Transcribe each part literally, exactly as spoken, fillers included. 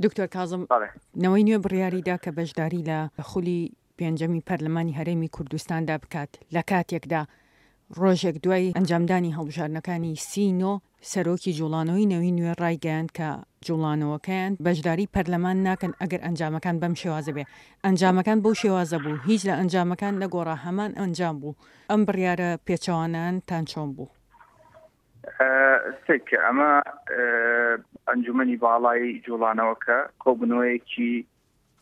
دکتۆر کازم، نەوەی نوێ بڕیاریدا کە بەشداری لە خولی پێنجەمی پەرلەمانی هەرێمی کوردستاندا بکات، لە کاتێکدا ڕۆژێک دوای ئەنجامدانی هەڵبژاردنەکانی سی نۆ، سەرۆکی جوڵانەوەی نەوەی نوێ ڕایگەیاند کە جوڵانەوەکەیان بەشداری پەرلەمان ناکەن ئەگەر ئەنجامەکان بەم شێوازە بێ. ئەنجامەکان بەو شێوازە بوو، هیچ لە ئەنجامەکان نەگۆڕا، هەمان ئەنجام بوو. ئەم بڕیارە پێچەوانەتان چۆن بوو؟ سێکە ئەمە ئەنجومەنی باڵای جوڵانەوەکە کۆبوونەوەیەکی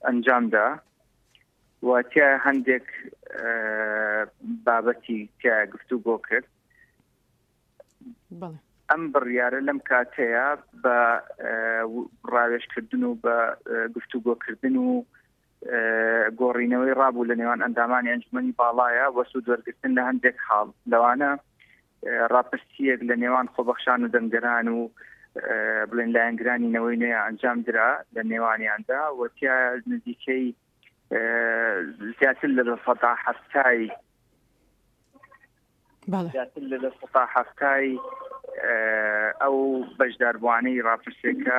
ئەنجامدا و تیا هەندێک بابەتی تیا گفتوگۆ کرد. ئەم بڕیارە لەم کاتەیە بە ڕاوێژکردن و بە گفتوگۆکردن و گۆڕینەوەی ڕابوو لە نێوان ئەندامانی ئەنجومەنی باڵایە وە سوود وەرگرتن لە هەندێک حاڵ، لەوانە ڕاپرسیەک لە نێوان خۆبەخشان و دەنگدەران و بڵێن لایەنگرانی نەوەی نوێ ئەنجام درا لە نێوانیاندا و تیا نزیکەی زیاتر لە سەدا هەفتای زیاتر لە سەدا هەفتای ئەو بەشداربووانەی ڕاپرسیەکە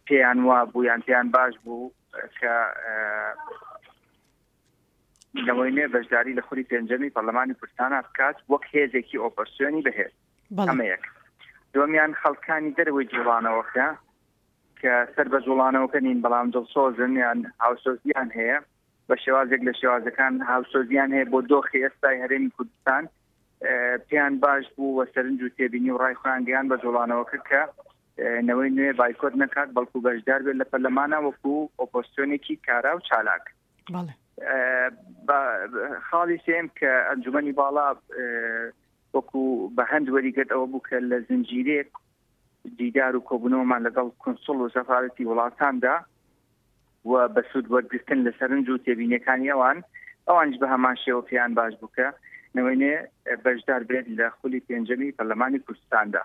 پێیان وا بوو یان پێیان باش بوو کە نەوەی نوێ بەشداری لە خولی پێنجەمی پەرلەمانی کوردستان بکات وەک هێزێکی ئۆپۆزسیۆنی بەهێز. ئەمە یەک. دووەمیان خەڵکانی دەرەوەی جوڵانەوەکە کە سەر بە جوڵانەوەکە نین بەڵام دڵسۆزن یان هاوسۆزیان هەیە بە شێوازێک لە شێوازەکان هاوسۆزیان هەیە بۆ دۆخی ئێستای هەرێمی کوردستان، پێیان باش بوو و سەرنج و تێبینی و ڕای خۆیان گەیان بە جوڵانەوەکە کە نەوەی نوێ بایکۆت نەکات بەڵکو بەشدار بێت لە پەرلەمانە وەکو ئۆپۆزسیۆنێکی کارا و چالاک. خاڵی سێم کە ئەنجومەنی باڵا وەکو بە هەند وەریگرت ئەوە بوو کە لە زنجیرێک دیدار و کۆبوونەوەمان لەگەڵ کنسوڵ و سەفارەتی وڵاتاندا و بە سوود وەرگرتن لە سەرنج و تێبینیەکانی ئەوان، ئەوانیش بە هەمان شێوە پێیان باش بوو کە نەوەی نوێ بەشدار بێت لە خولی پێنجەمی پەرلەمانی کوردستاندا.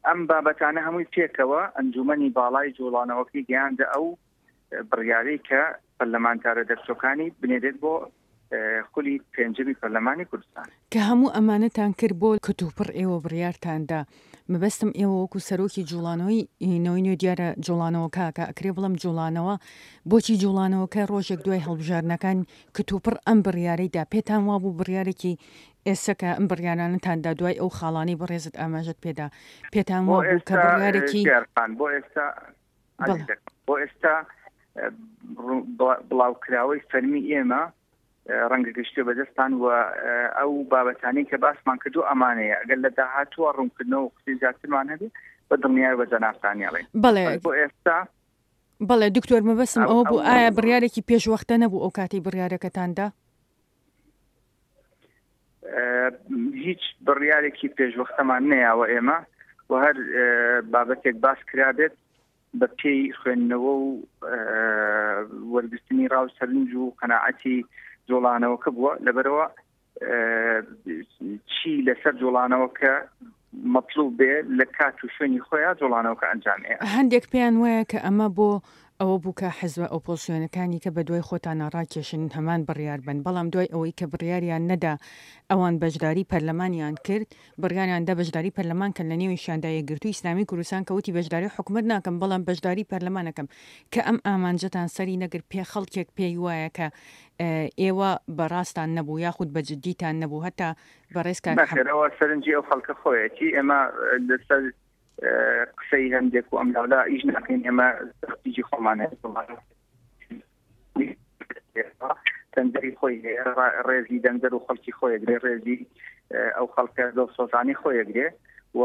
ئەم بابەتانە هەمووی پێکەوە ئەنجومەنی باڵای جوڵانەوەکەی گەیاندە ئەو بڕیارەی کە پەرلەمانتارە دەرچووەکانی بنێرێت بۆ خولی پێنجەمی پەرلەمانی کوردستان. کە هەموو ئەمانەتان کرد بۆ کتوپڕ ئێوە بڕیارتاندا، مەبەستم ئێوە وەکو سەرۆکی جوڵانەوەی نەوەی نوێ دیارە جوڵانەوەکە کە ئەکرێ بڵێم جوڵانەوە، بۆچی جوڵانەوەکە ڕۆژێک دوای هەڵبژاردنەکان کتوپڕ ئەم بڕیارەی دا؟ پێتان وابوو بڕیارێکی ئێستا کە ئەم بڕیارانەتاندا دوای ئەو خاڵانەی بەڕێزت ئاماژەت پێدا، پێتان وابوو کە بڕیارێکی بۆ ئێستا بۆ ئێستا بڵاوکراوەی فەرمی ئێمە ڕەنگە گەشتێ بەدەستان و ئەو بابەتانەی کە باسمان کردو ئەمانەیە. ئەگەر لە داهاتووە ڕوونکردنەوە و قسەی زیاترمان هەبێ بە دڵنیای بە جەنابتانی ئەڵێن. بەڵێ بۆ ئێستا بەڵێ دکتۆر مەبەستم ئەوە بوو ئایا بڕیارێکی پێشوەختە نەبوو ئەو کاتەی بڕیارەکەتاندا؟ هیچ بڕیارێکی پێشوەختەمان نەیاوە ئێمە و هەر بابەتێک باس کرابێت بە پێی خوێندنەوە و وەرگرتنی ڕاو سەرنج و قەناعەتی جوڵانەوەکە بووە. لەبەرەوە چی لەسەر جوڵانەوەکە مەطلوب بێ لە کات و شوێنی خۆیان جوڵانەوەکە ئەنجامەیە. هەندێک پێیان وایە کە ئەمە بۆ ئەوە بوو کە حزبە ئۆپۆزسیۆنەکانی کە بە دوای خۆتانە ڕاکێشن هەمان بڕیار بن، بەڵام دوای ئەوەی کە بڕیاریان نەدا ئەوان بەشداری پەرلەمانیان کرد، بڕیاریان دا بەشداری پەرلەمان کەن، لە نێویشیاندا یەکگرتووی ئیسلامی کوردستان کە وتی بەشداری حکومەت ناکەم بەڵام بەشداری پەرلەمانەکەم، کە ئەم ئامانجەتان سەری نەگرت، پێ خەڵکێک پێی وایە کە ئێوە بەڕاستان نەبوو یاخود بە جدیتان نەبوو. هەتا بەڕێز کاک نەخێرەوە سەرنجی ئەو خەڵکە خۆیەتی. ئێمە لەسەر قسەی هەندێک و ئەم لاولا ئیش ناکەین، ئێمە تەختیجی خۆمان هەیە، دەنگدەری خۆی هەیە، ڕێزی دەنگدەر و خەڵکی خۆیەگرێ، ڕێزی ئەو خەڵکە دڵسۆزانی خۆیەگرێ و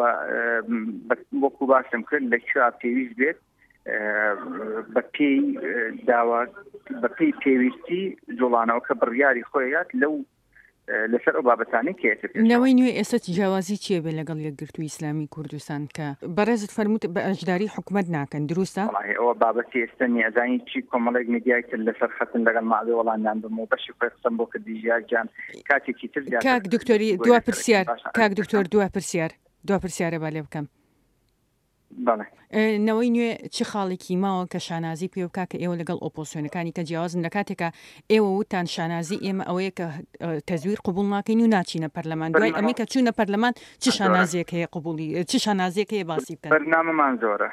وەکو باسم کرد لە کوێ پێویست بێت بە پێی داوا بە پێی پێویستی جوڵانەوەکە بڕیاری خۆیات لەو لەسەر ئەو بابەتانەی کێتر. نەوەی نوێ ئێستا جیاوازی چییە بێ لەگەڵ یەکگرتووی ئیسلامی کوردستان کە بەڕێزت فەرمووت بە ئەشداری حکومەت ناکەن، دروستە؟ وەڵاهی ئەوە بابەتی ئێستا نییە. ئەزانی چی کۆمەڵێک میدیای تر لەسەر خەتن لەگەڵ ماوێ وەڵامیان بم و بەشی خۆی قسەم بۆ کردی ژیار گیان کاتێکی تر زیاتر کاک دکتۆری دوا پرسیار، کاک دکتۆر دوا پرسیار، دوا پرسیارە با لێ بکەم. بەڵێ. نەوەی نوێ چ خاڵێکی ماوە کە شانازی پێ بکا کە ئێوە لەگەڵ ئۆپۆزسیۆنەکانی کە جیاوازن، لە کاتێکا ئێوە وتان شانازی ئێمە ئەوەیە کە تەزویر قبوڵ ناکەین و ناچینە پەرلەمان، دوای ئەمەی کە چوونە پەرلەمان چ شانازیەک هەیە قبوڵی، چ شانازیەک هەیە باسی بکەن؟ بەرنامەمان زۆرە،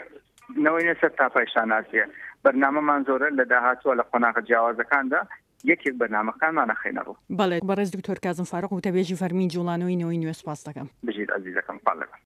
نەوەی نوێ سەر تاپای شانازیە. بەرنامەمان زۆرە لە داهاتووە لە قۆناغە جیاوازەکاندا یەکێک بەرنامەکانمان ئەخەینە ڕوو. بەڵێ بەڕێز دکتۆر کازم فاروق وتەبێژی فەرمی جوڵانەوەی نەوەی نوێ سوپاست دەکەم. بژیت ئەزیزەکەم خوات لەگەڵ.